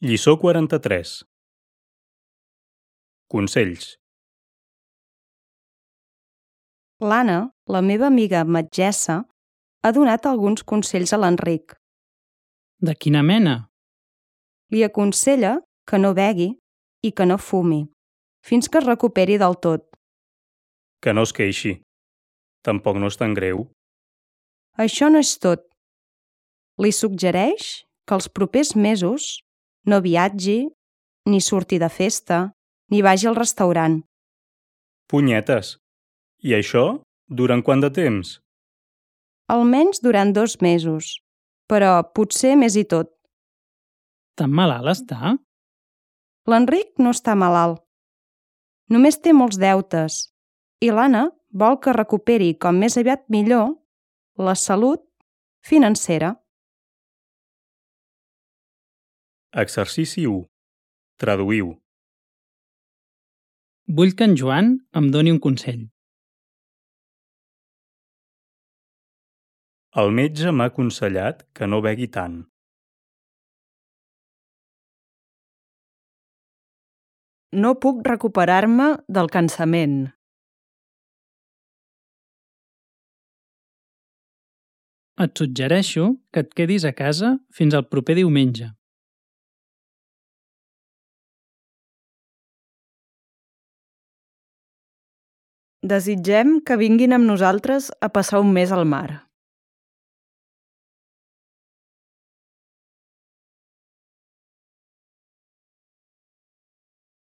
Lliçó 43. Consells. L'Anna, la meva amiga metgessa, ha donat alguns consells a l'Enric. De quina mena? Li aconsella que no begui i que no fumi, fins que es recuperi del tot. Que no es queixi. Tampoc no és tan greu. Això no és tot. Li suggereix que els propers mesos no viatgi, ni surti de festa, ni vagi al restaurant. Punyetes. I això, durant quant de temps? Almenys durant 2 mesos, però potser més i tot. Tan malalt està? L'Enric no està malalt. Només té molts deutes i l'Anna vol que recuperi com més aviat millor la salut financera. Exercici 1. Traduïu. Vull que en Joan em doni un consell. El metge m'ha aconsellat que no begui tant. No puc recuperar-me del cansament. Et suggereixo que et quedis a casa fins al proper diumenge. Desitgem que vinguin amb nosaltres a passar un mes al mar.